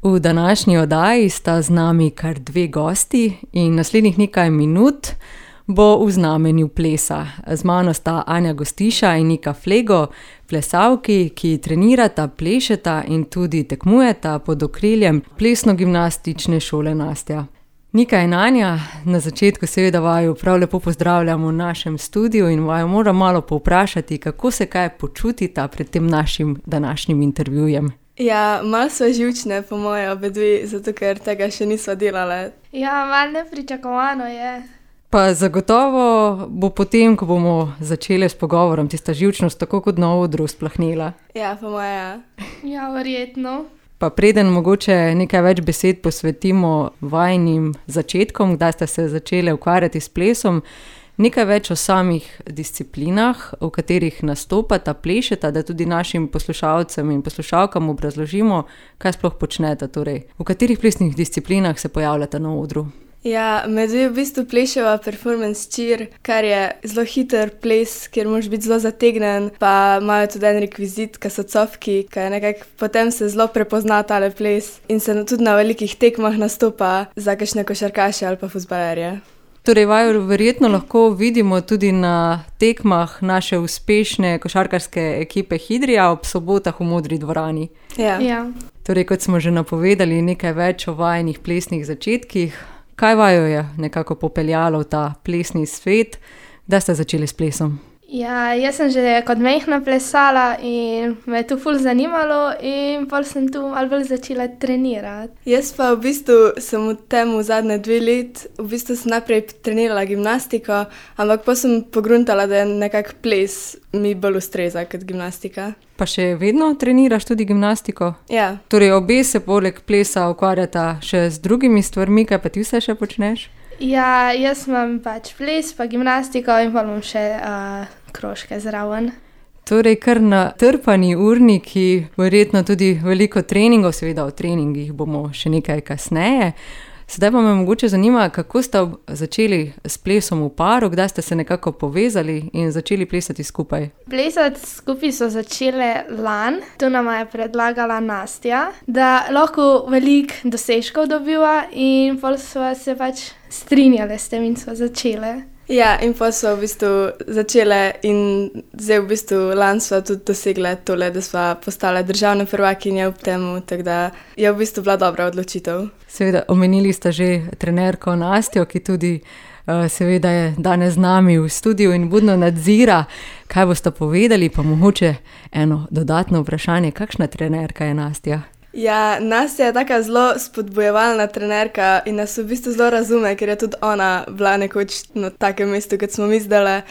V današnji oddaji sta z nami kar dve gosti in naslednjih nekaj minut bo v znamenju plesa. Z mano sta Anja Gostiša in Nika Flego, plesalki, ki trenirata, plešeta in tudi tekmujeta pod okriljem plesno-gimnastične šole Nastja. Nika in Anja, na začetku seveda vaju prav lepo pozdravljamo v našem studiu in vaju moram malo povprašati, kako se kaj počutita pred tem našim današnjim intervjujem. Ja, malo so živčne po moje obe dve, zato ker tega še nisva delale. Ja, malo nepričakovano je. Pa zagotovo bo potem, ko bomo začeli s pogovorom, tista živčnost tako kot na odru splahnela. Ja, po moje ja. Ja, verjetno. Pa preden mogoče nekaj več besed posvetimo vajinim začetkom, kdaj ste se začeli ukvarjati s plesom, nekaj več o samih disciplinah, v katerih nastopata, plešeta, da tudi našim poslušalcem in poslušalkam obrazložimo, kaj sploh počnete, torej v katerih plesnih disciplinah se pojavljate na odru. Ja, med dve v bistvu pleševa performance cheer, kar je zelo hiter ples, kjer moraš biti zelo zategnen, pa imajo tudi en rekvizit, ki so cofki, ki je nekako potem se zelo prepozna tale ples in se tudi na velikih tekmah nastopa za kakšne košarkaše ali pa fuzbalerje. Torej, vaju verjetno lahko vidimo tudi na tekmah naše uspešne košarkarske ekipe Hidrija ob sobotah v Modri dvorani. Ja. Torej, kot smo že napovedali, nekaj več o vajinih plesnih začetkih. Kaj vaju je nekako popeljalo v ta plesni svet? Kdaj ste začeli s plesom? Ja, jaz sem že kot majhna plesala in me je to ful zanimalo in pol sem tu malo bolj začela trenirati. Jaz pa v bistvu sem v tem zadnje 2 let, v bistvu sem najprej trenirala gimnastiko, ampak pa sem pogruntala, da je nekako ples mi bolj ustreza kot gimnastika. Pa še vedno treniraš tudi gimnastiko? Ja. Torej, obe se poleg plesa ukvarjata še z drugimi stvarmi, kaj pa ti vse še počneš? Ja, jaz imam pač ples, pa gimnastiko in pol imam še krožke zraven. Torej, kar natrpani urniki, verjetno tudi veliko treningov, seveda o treningih bomo še nekaj kasneje. Sedaj pa me mogoče zanima, kako ste začeli s plesom v paru, kdaj ste se nekako povezali in začeli plesati skupaj? Plesati skupaj so začele lani, tu nama je predlagala Nastja, da lahko veliko dosežkov dobiva in pol sva se pač strinjale s tem in sva začele. Ja, in pa sva v bistvu začele in zdaj v bistvu lani sva tudi dosegle tole, da sva postala državne prvakinje ob temu, tako da je v bistvu bila dobra odločitev. Seveda, omenili ste že trenerko Nastjo, ki tudi seveda je danes z nami v studiu in budno nadzira, kaj boste povedali, pa mogoče eno dodatno vprašanje, kakšna trenerka je Nastja? Ja, Nastja je taka zelo spodbojevalna trenerka in nas v bistvu zelo razume, ker je tudi ona bila nekoč na takem mestu, kot smo mi zdajle.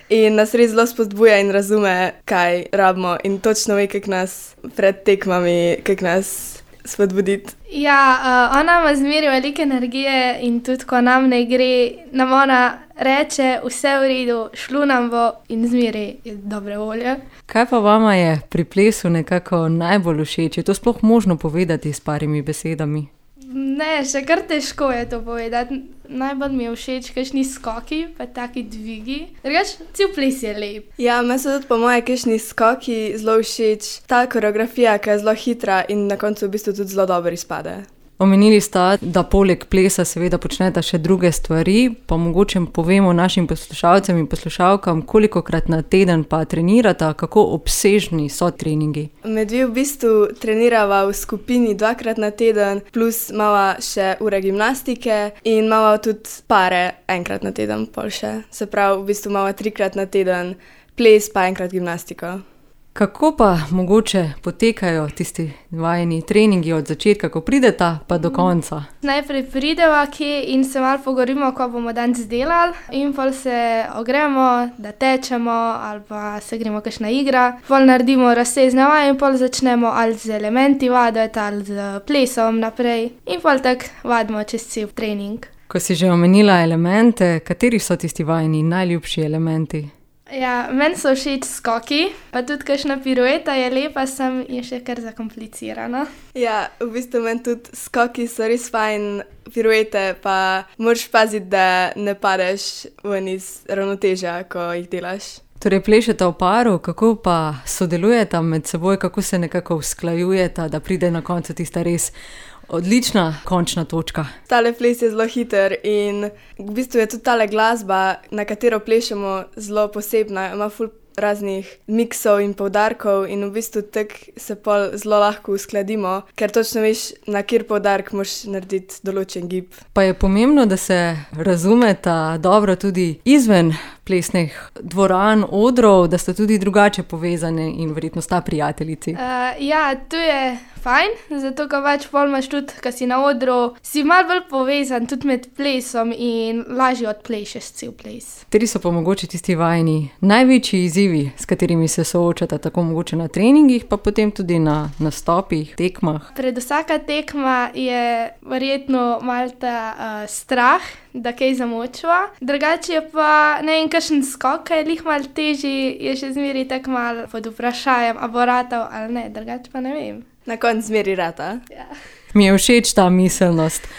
In nas res zelo spodbuja in razume, kaj rabimo in točno ve, kako nas pred tekmami, kako nas spodbuditi. Ja, ona ima zmeraj veliko energije in tudi, ko nam ne gre, nam ona reče, vse v redu, šlo nam bo in zmeraj je dobre volje. Kaj pa vama je pri plesu nekako najbolj všeč? Je to sploh možno povedati s parimi besedami? Ne, še kar težko je to povedati. Najbolj mi je všeč kakšni skoki, pa taki dvigi. Drugač, cel ples je lep. Ja, meni so tudi po moje kakšni skoki zelo všeč. Ta koreografija, ki je zelo hitra in na koncu v bistvu tudi zelo dobro izpade. Omenili sta, da poleg plesa seveda počneta še druge stvari, pa mogoče povemo našim poslušalcem in poslušalkam, kolikokrat na teden pa trenirata, kako obsežni so treningi. Med dve v bistvu trenirava v skupini 2-krat na teden, plus imava še ure gimnastike in imava tudi pare 1-krat na teden pol še. Se pravi, v bistvu imava 3-krat na teden ples pa 1-krat gimnastiko. Kako pa mogoče potekajo tisti vajini treningi od začetka, ko prideta, pa do konca? Najprej prideva kje in se malo pogovorimo, ko bomo danes delali in pol se ogremo, da tečemo ali pa se gremo kakšna igra. Pol naredimo raztezne vaje in pol začnemo ali z elementi vaditi ali z plesom naprej in pol tako vadimo čez cel trening. Ko si že omenila elemente, kateri so tisti vajini najljubši elementi? Ja, meni so všeč skoki, pa tudi kakšna pirueta je lepa, sem in še kar zakomplicirana. Ja, v bistvu meni tudi skoki so res fajn, piruete pa moraš paziti, da ne padeš ven iz ravnotežja, ko jih delaš. Torej, plešete v paru, kako pa sodelujete med seboj, kako se nekako usklajujete, da pride na koncu tista res odlična končna točka? Tale ples je zelo hiter in v bistvu je tudi tale glasba, na katero plešemo, zelo posebna. Ima ful raznih miksov in poudarkov in v bistvu tako se pol zelo lahko uskladimo, ker točno veš, na kjer poudark moraš narediti določen gib. Pa je pomembno, da se razumeta dobro tudi izven plesnih dvoran, odrov, da sta tudi drugače povezane in verjetno sta prijateljici. Ja, to je fajn, zato ko pač pol imaš tudi, ko si na odru, si malo bolj povezan tudi med plesom in lažje odplešeš cel ples. Kateri so pa mogoče tisti vajini največji izzivi, s katerimi se soočata, tako mogoče na treningih, pa potem tudi na nastopih, tekmah? Pred vsaka tekma je verjetno malo ta strah, da kaj zamočva. Drugače je pa, ne vem, kakšen skok, ki je lih malo težji, je še zmeri tako malo pod vprašajem, a bo ratal ali ne, drugače pa ne vem. Na koncu zmeri rata. Ja. Mi je všeč ta miselnost.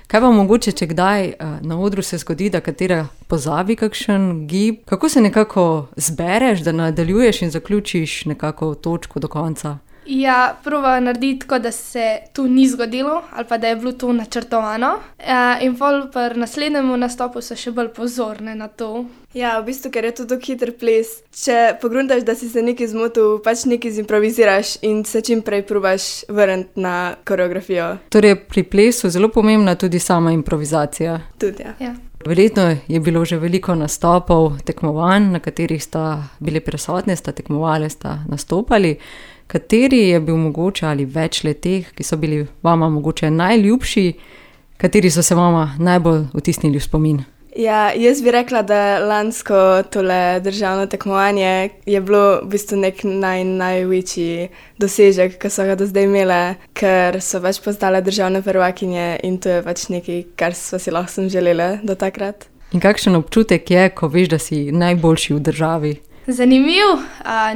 Kaj pa mogoče, če kdaj na odru se zgodi, da katera pozabi kakšen gib? Kako se nekako zbereš, da nadaljuješ in zaključiš nekako točko do konca? Ja, proba narediti tako, da se to ni zgodilo ali pa da je bilo to načrtovano. In pol pri naslednjem nastopu so še bolj pozorne na to. Ja, v bistvu, ker je to tako hiter ples. Če pogruntaš, da si se nekaj zmotil, pač nekaj zimproviziraš in se čim prej probaš vrniti na koreografijo. Torej, pri plesu zelo pomembna tudi sama improvizacija. Tudi, ja. Ja. Verjetno je bilo že veliko nastopov, tekmovanj, na katerih sta bili prisotni, sta tekmovali, sta nastopali. Kateri je bil mogoče ali več leteh, ki so bili vama mogoče najljubši, kateri so se vama najbolj vtisnili v spomin? Ja, jaz bi rekla, da lansko tole državno tekmovanje je bilo v bistvu nek največji dosežek, ki so ga do zdaj imele, ker so pač postale državne prvakinje in to je pač nekaj, kar sva si lahko sem želela do takrat. In kakšen občutek je, ko veš, da si najboljši v državi? Zanimiv,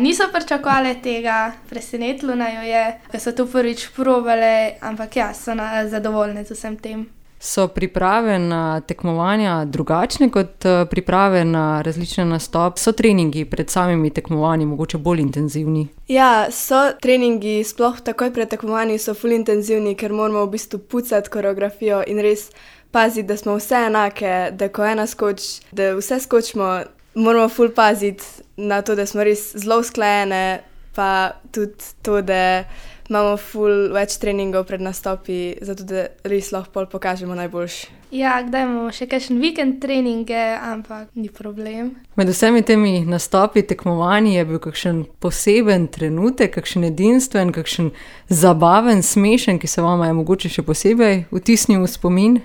niso pričakovali tega, presenetilo naju je, ko so to prvič probale, ampak ja, so zadovoljne z vsem tem. So priprave na tekmovanja drugačne kot priprave na različne nastope? So treningi pred samimi tekmovanji mogoče bolj intenzivni? Ja, so treningi, sploh takoj pred tekmovanji so ful intenzivni, ker moramo v bistvu pucati koreografijo in res paziti, da smo vse enake, da ko ena skoči, da vse skočimo, moramo ful paziti na to, da smo res zelo usklajene, pa tudi to, da imamo ful več treningov pred nastopi, zato da res lahko pol pokažemo najboljši. Ja, kdaj imamo še kakšen vikend treninge, ampak ni problem. Med vsemi temi nastopi, tekmovanji je bil kakšen poseben trenutek, kakšen edinstven, kakšen zabaven, smešen, ki se vama je mogoče še posebej vtisnil v spomin?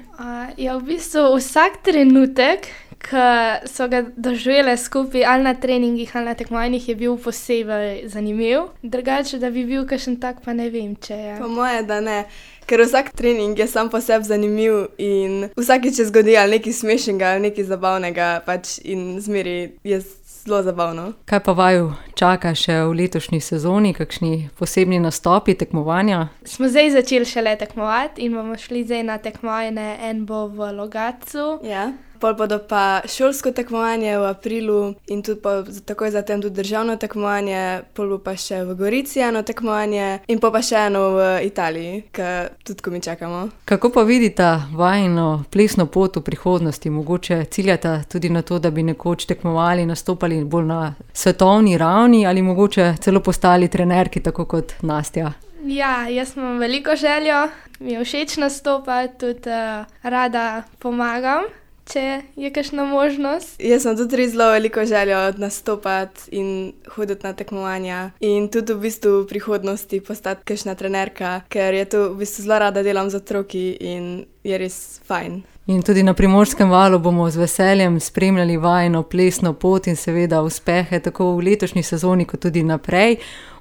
Ja, v bistvu vsak trenutek, ki so ga doživele skupaj ali na treningih ali na tekmovanjih, je bil posebej zanimiv. Drugače, da bi bil kakšen tak, pa ne vem, če je. Po moje, da ne, ker vsak trening je sam po sebi zanimiv in vsakič se zgodi ali nekaj smešnega ali nekaj zabavnega pač in zmeri je zelo zabavno. Kaj pa vaju čaka še v letošnji sezoni, kakšni posebni nastopi, tekmovanja? Smo zdaj začeli šele tekmovati in bomo šli zdaj na tekmovanje, en bo v Logatcu. Ja. Pol bodo pa šolsko tekmovanje v aprilu in tudi takoj zatem tudi državno tekmovanje, pol bo pa še v Gorici eno tekmovanje in pa še eno v Italiji, ki tudi ko mi čakamo. Kako pa vidite vajino plesno pot v prihodnosti? Mogoče ciljate tudi na to, da bi nekoč tekmovali, nastopali bolj na svetovni ravni ali mogoče celo postali trenerki, tako kot Nastja? Ja, jaz imam veliko željo, mi je všeč nastopati, tudi rada pomagam, če je kakšna možnost. Jaz sem tudi res zelo veliko željo nastopati in hoditi na tekmovanja in tudi v bistvu v prihodnosti postati kakšna trenerka, ker je to v bistvu zelo rada delam z otroki in je res fajn. In tudi na Primorskem valu bomo z veseljem spremljali vajino plesno pot in seveda uspehe tako v letošnji sezoni kot tudi naprej.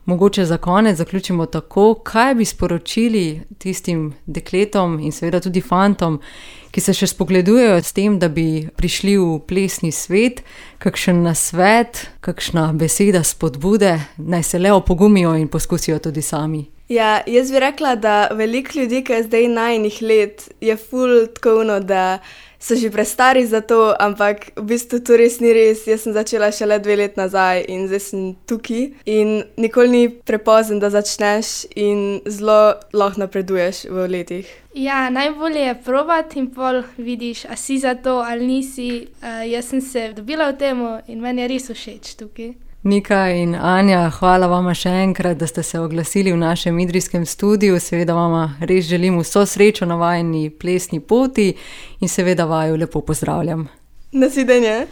Mogoče za konec zaključimo tako, kaj bi sporočili tistim dekletom in seveda tudi fantom, ki se še spogledujejo s tem, da bi prišli v plesni svet, kakšen nasvet, kakšna beseda spodbude, naj se le opogumijo in poskusijo tudi sami. Ja, jaz bi rekla, da veliko ljudi, ki je zdaj najinih let, je ful tako ono, da so že prestari za to, ampak v bistvu to res ni res. Jaz sem začela šele 2 leti nazaj in zdaj sem tukaj. In nikoli ni prepozen, da začneš in zelo lahko napreduješ v letih. Ja, najbolje je probati in pol vidiš, a si za to ali nisi. Jaz sem se dobila v tem in meni je res všeč tukaj. Nika in Anja, hvala vama še enkrat, da ste se oglasili v našem idrijskem studiu. Seveda vama res želim vso srečo na vajini plesni poti in seveda vaju lepo pozdravljam. Nasvidenje.